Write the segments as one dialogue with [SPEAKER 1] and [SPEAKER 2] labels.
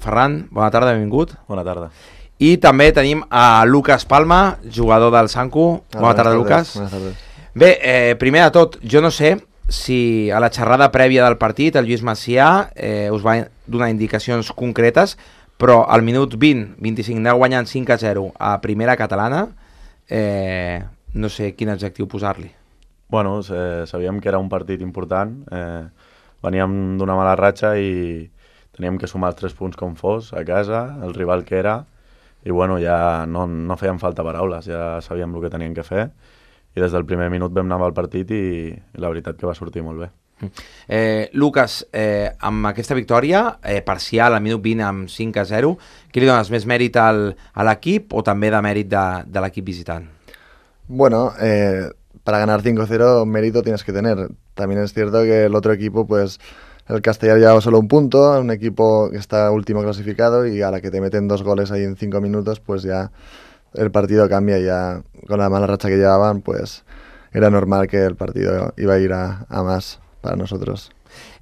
[SPEAKER 1] Ferran, bona tarda, benvingut.
[SPEAKER 2] Bona tarda.
[SPEAKER 1] I també tenim a Lucas Palma, jugador del Sanku. Bona tarda, Lucas.
[SPEAKER 3] Buenas tardes.
[SPEAKER 1] Bé, primer de tot, jo no sé si a la xerrada prèvia del partit el Lluís Macià us va donar indicacions concretes, però al minut 20-25 aneu guanyant 5-0 a primera catalana, no sé quin adjectiu posar-li.
[SPEAKER 2] Bueno, sabíem que era un partit important, veníem d'una mala ratxa i teníem que sumar els 3 punts com fos a casa, el rival que era, i bueno, ja no feien falta paraules, ja sabíem el que teníem que fer, i des del primer minut vam anar al partit i la veritat que va sortir molt bé.
[SPEAKER 1] Lucas, amb aquesta victòria parcial al minut 20 amb 5-0, qui li dones més mèrit a l'equip o també de mèrit de l'equip visitant?
[SPEAKER 3] Bueno, para ganar 5-0 mérito tienes que tener. También es cierto que el otro equipo, pues el Castellar llevaba solo un punto, un equipo que está último clasificado, y a la que te meten 2 goles ahí en 5 minutos, pues ya el partido cambia. Ya con la mala racha que llevaban, pues era normal que el partido iba a ir a más para nosotros.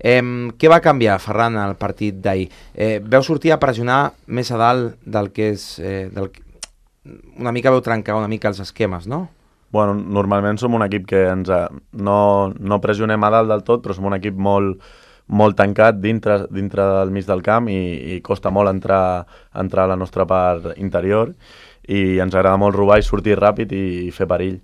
[SPEAKER 1] Què va canviar, Ferran, al partit d'ahir? Veu sortir a pressionar més a dalt del que és... una mica veu trencar una mica els esquemes, no?
[SPEAKER 2] Bueno, normalment som un equip que no pressionem a dalt del tot, però som un equip molt tancat dintre del mig del camp i costa molt entrar a la nostra part interior, i ens agrada molt robar i sortir ràpid i fer perill.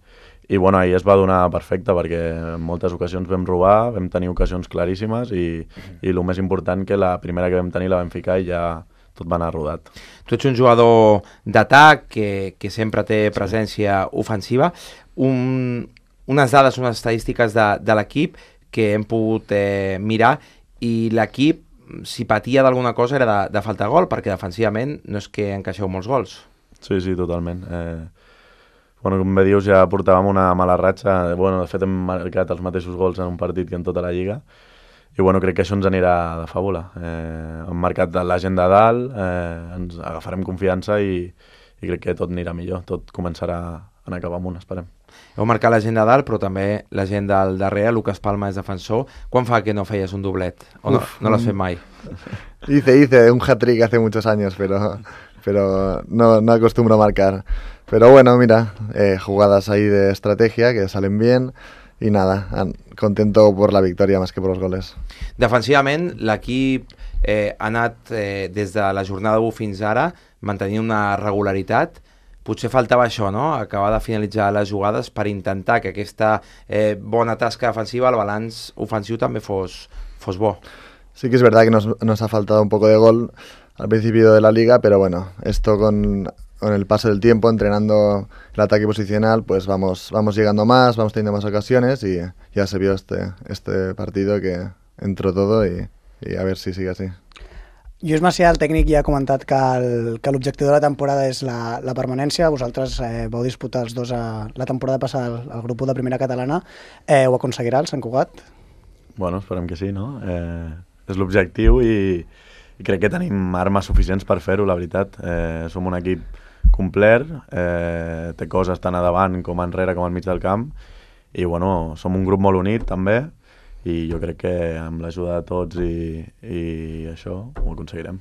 [SPEAKER 2] I bueno, ahir es va donar perfecte perquè en moltes ocasions vam robar, vam tenir ocasions claríssimes i el més important que la primera que vam tenir la vam ficar i ja tot va anar rodat.
[SPEAKER 1] Tu ets un jugador d'atac que sempre té presència ofensiva. Unes dades, unes estadístiques de l'equip que hem pogut mirar, i l'equip, si patia d'alguna cosa, era de falta gol, perquè defensivament no és que encaixeu molts gols.
[SPEAKER 2] Sí, totalment. Bueno, com bé dius, ja portàvem una mala ratxa. Bueno, de fet, hem marcat els mateixos gols en un partit que en tota la Lliga. I bueno, crec que això ens anirà de fàbula. Hem marcat la gent de dalt, ens agafarem confiança i crec que tot anirà millor. Tot començarà a anar cap amunt, esperem.
[SPEAKER 1] Heu marcat la gent de dalt, però també la gent del darrere. Lucas Palma és defensor. Quan fa que no feies un doblet? O no l'has fet mai?
[SPEAKER 3] Hice un hat-trick hace muchos años, pero no acostumbro a marcar. Pero bueno, mira, jugadas ahí de estrategia que salen bien y nada, contento por la victoria más que por los goles.
[SPEAKER 1] Defensivament, l'equip ha anat des de la jornada 1 fins ara mantenint una regularitat. Potser faltava això, no? Acabar de finalitzar les jugades per intentar que aquesta bona tasca defensiva, el balanç ofensiu també fos bo.
[SPEAKER 3] Sí que es verdad que nos ha faltado un poco de gol al principio de la liga, pero bueno, esto con el paso del tiempo, entrenando el ataque posicional, pues vamos llegando más, vamos teniendo más ocasiones, y ya se vio este partido que entró todo, y a ver si sigue así.
[SPEAKER 4] Lluís Macià, el tècnic, ja ha comentat que l'objectiu de la temporada és la permanència. Vosaltres vau disputar els dos la temporada passada al grup de primera catalana. Ho aconseguirà el Sant Cugat?
[SPEAKER 2] Bueno, esperem que sí, no? És l'objectiu i crec que tenim armes suficients per fer-ho, la veritat. Som un equip complet, té coses tant a davant com enrere com al mig del camp, i bueno, som un grup molt unit també, i jo crec que amb l'ajuda de tots i això ho aconseguirem.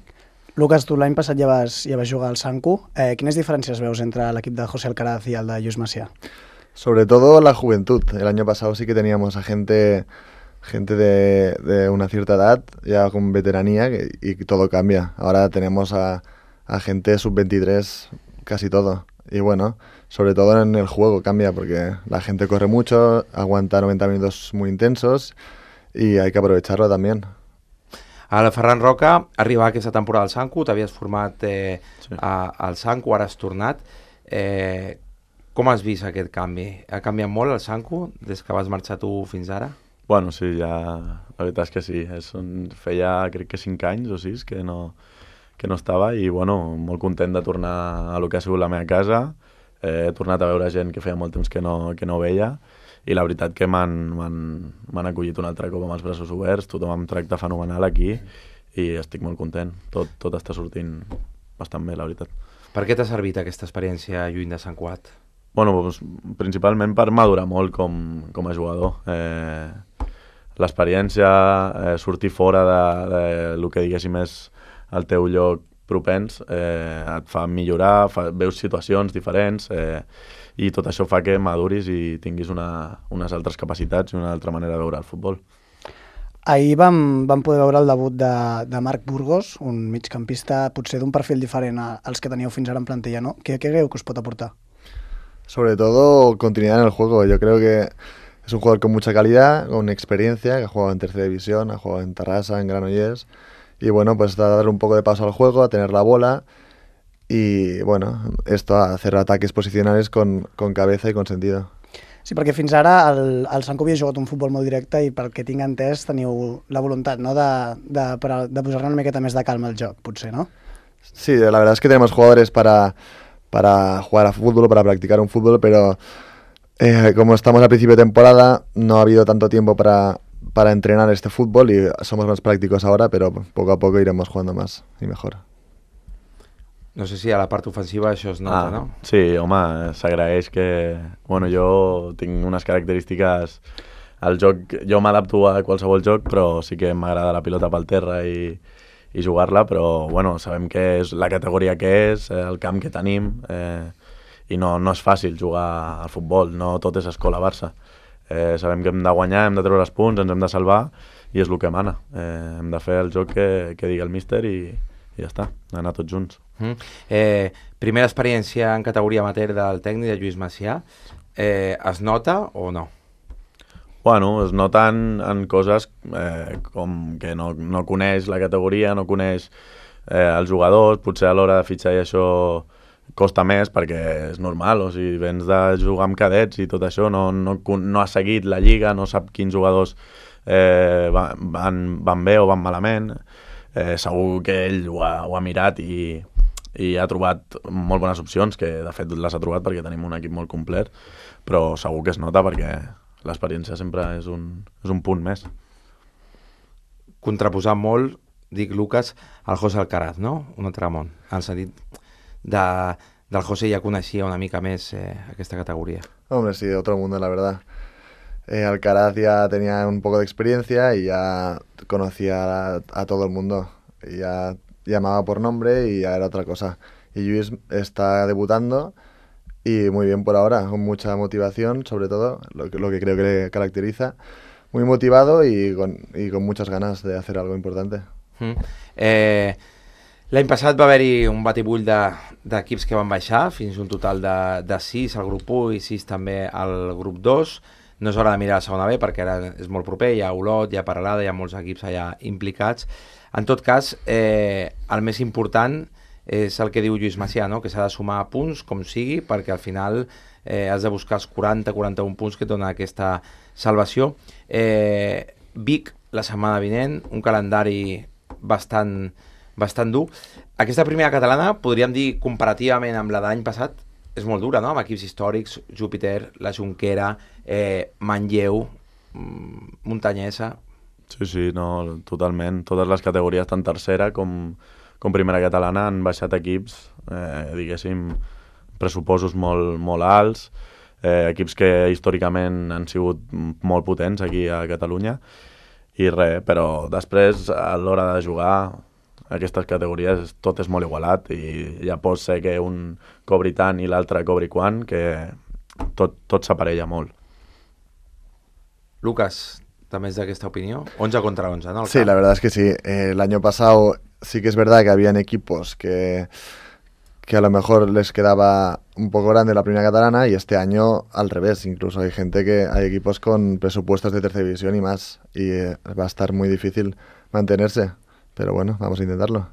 [SPEAKER 4] Lucas, tu l'any passat ja vas jugar al Sanku. Quines diferències veus entre l'equip de José Alcaraz i el de Lluís Macià?
[SPEAKER 3] Sobre todo la juventud. El año pasado sí que teníamos a gente de una cierta edad, ya con veteranía, y todo cambia. Ahora tenemos a gente sub-23 casi todo. Y bueno, sobre todo en el juego cambia, porque la gente corre mucho, aguanta 90 minutos muy intensos, y hay que aprovecharlo también.
[SPEAKER 1] El Ferran Roca arriba aquesta temporada al Sanku, t'havies format al Sanku, ara has tornat. Com has vist aquest canvi? Ha canviat molt el Sanku des que vas marxar tu fins ara?
[SPEAKER 2] Bueno, sí, ja, la veritat és que sí. Feia, crec que 5 anys o 6 que no estava, i bueno, molt content de tornar a lo que ha sigut la meva casa. He tornat a veure gent que feia molt temps que no veia, i la veritat que m'han acollit un altre cop amb els braços oberts. Tothom em tracta fenomenal aquí i estic molt content. Tot està sortint bastant bé, la veritat.
[SPEAKER 1] Per què t'ha servit aquesta experiència lluny de Sant Cugat?
[SPEAKER 2] Bueno, doncs, principalment per madurar molt com a jugador. L'experiència, sortir fora de lo que diguéssim és el teu lloc propens, et fa millorar, veus situacions diferents, i tot això fa que maduris i tinguis unes altres capacitats i una altra manera de veure el futbol.
[SPEAKER 4] Ahir vam poder veure el debut de Marc Burgos, un migcampista potser d'un perfil diferent als que teníeu fins ara en plantilla, ¿no? ¿Qué creu que us pot aportar?
[SPEAKER 3] Sobre todo continuidad en el juego. Yo creo que es un jugador con mucha calidad, con experiencia, que ha jugado en tercera división, ha jugado en Tarrasa, en Granollers, y bueno, pues a dar un poco de paso al juego, a tener la bola y bueno, esto, a hacer ataques posicionales con cabeza y con sentido.
[SPEAKER 4] Sí, perquè fins ara el Sanco havia jugat un futbol molt directe i pel que tinc entès teniu la voluntat, no?, de posar-ne una miqueta més de calma al joc, potser, no?
[SPEAKER 3] Sí, la verdad es que tenemos jugadores para jugar a fútbol, para practicar un fútbol, pero como estamos al principio de temporada, no ha habido tanto tiempo para entrenar este fútbol y somos más prácticos ahora, pero poco a poco iremos jugando más y mejor.
[SPEAKER 1] No sé si a la part ofensiva això es nota, no?
[SPEAKER 2] Sí, home, s'agraeix que... Bueno, jo tinc unes característiques... El joc, jo m'adapto a qualsevol joc, però sí que m'agrada la pilota pel terra i jugar-la, però bueno, sabem que és la categoria que és, el camp que tenim, i no és fàcil jugar al futbol, no tot és escola-Barça. Sabem que hem de guanyar, hem de treure els punts, ens hem de salvar, i és el que mana. Hem de fer el joc que digui el míster i ja està, anar tots junts.
[SPEAKER 1] Primera experiència en categoria amateur del tècnic de Lluís Macià, es nota o no?
[SPEAKER 2] Bueno, es noten en coses com que no coneix la categoria, no coneix els jugadors, potser a l'hora de fitxar i això costa més perquè és normal, o sigui, vens de jugar amb cadets i tot això, no ha seguit la lliga, no sap quins jugadors van bé o van malament. Segur que ell ho ha mirat i ha trobat molt bones opcions, que de fet les ha trobat perquè tenim un equip molt complet, però segur que es nota perquè l'experiència sempre és un punt més.
[SPEAKER 1] Contraposar molt, dic Lucas, al José Alcaraz, no? Un altre món, en el sentit del José ja coneixia una mica més aquesta categoría.
[SPEAKER 3] Hombre, sí, otro mundo, la verdad. Alcaraz ya tenía un poco de experiencia y ya conocía a todo el mundo. Y ya llamaba por nombre y ya era otra cosa. Y Lluís está debutando y muy bien por ahora, con mucha motivación, sobre todo, lo que creo que le caracteriza. Muy motivado y con muchas ganas de hacer algo importante.
[SPEAKER 1] L'any passat va haver-hi un batibull d'equips que van baixar, fins un total de 6 al grup 1 i 6 també al grup 2. No és hora de mirar la segona B perquè ara és molt proper, hi ha Olot, hi ha Peralada, hi ha molts equips allà implicats. En tot cas, el més important és el que diu Lluís Macià, no? Que s'ha de sumar punts com sigui perquè al final has de buscar els 40-41 punts que et donen aquesta salvació. Vic, la setmana vinent, un calendari bastant dur. Aquesta primera catalana, podríem dir comparativament amb la de l'any passat, és molt dura, no? Amb equips històrics, Júpiter, la Jonquera, Manlleu, Muntanyesa...
[SPEAKER 2] Sí, no, totalment. Totes les categories, tant tercera com primera catalana, han baixat equips, diguéssim, pressupostos molt alts, equips que històricament han sigut molt potents aquí a Catalunya, i res, però després, a l'hora de jugar, aquestes categories tot és molt igualat i ja pot ser que un cobri tant i l'altre cobri quan, que tot s'aparella molt.
[SPEAKER 1] Lucas, ¿también es de esta opinión? 11 contra 11, ¿no?
[SPEAKER 3] Sí, la verdad es que sí. El año pasado sí que es verdad que habían equipos que a lo mejor les quedaba un poco grande la primera catalana y este año al revés. Incluso hay equipos con presupuestos de tercera división y más y va a estar muy difícil mantenerse. Però bueno, vamos a intentar-lo.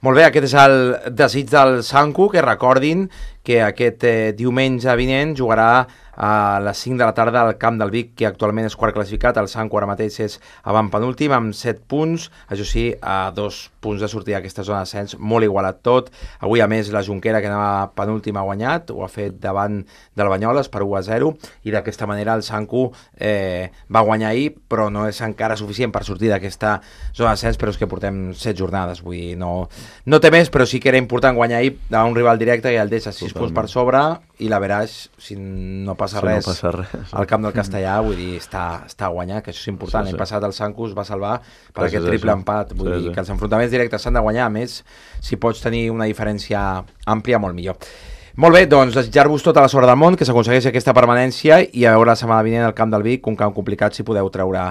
[SPEAKER 1] Molt bé, aquest és el desig del Sanco, que recordin que aquest diumenge vinent jugarà a les 5 de la tarda al camp del Vic, que actualment és quart classificat. El Sanco ara mateix és avantpenúltim amb 7 punts, això sí, a 2 punts de sortir d'aquesta zona d'ascens, molt igualat tot. Avui, a més, la Jonquera, que anava penúltim, ha guanyat, ho ha fet davant del Banyoles per 1-0, i d'aquesta manera el Sanco va guanyar ahir, però no és encara suficient per sortir d'aquesta zona d'ascens, però és que portem 7 jornades, vull dir, no té més, però sí que era important guanyar ahir davant un rival directe i el deixa 6 punts per sobre, i la Veraix, si no passa
[SPEAKER 2] Si no
[SPEAKER 1] res,
[SPEAKER 2] passa res.
[SPEAKER 1] al camp del Castellà, vull dir, està guanyat, que això és important. L'any passat el Sancus va salvar per aquest triple empat, vull dir que els enfrontaments directes s'han de guanyar, a més, si pots tenir una diferència àmplia, molt millor. Molt bé, doncs desitjar-vos tota la sort del món, que s'aconsegueixi aquesta permanència i a veure la setmana vinent al camp del Vic, un camp complicat, si podeu treure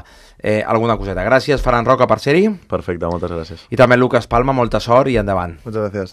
[SPEAKER 1] alguna coseta. Gràcies, Ferran Roca, per ser-hi.
[SPEAKER 2] Perfecte, moltes gràcies.
[SPEAKER 1] I també Lucas Palma, molta sort i endavant.
[SPEAKER 3] Muchas gracias.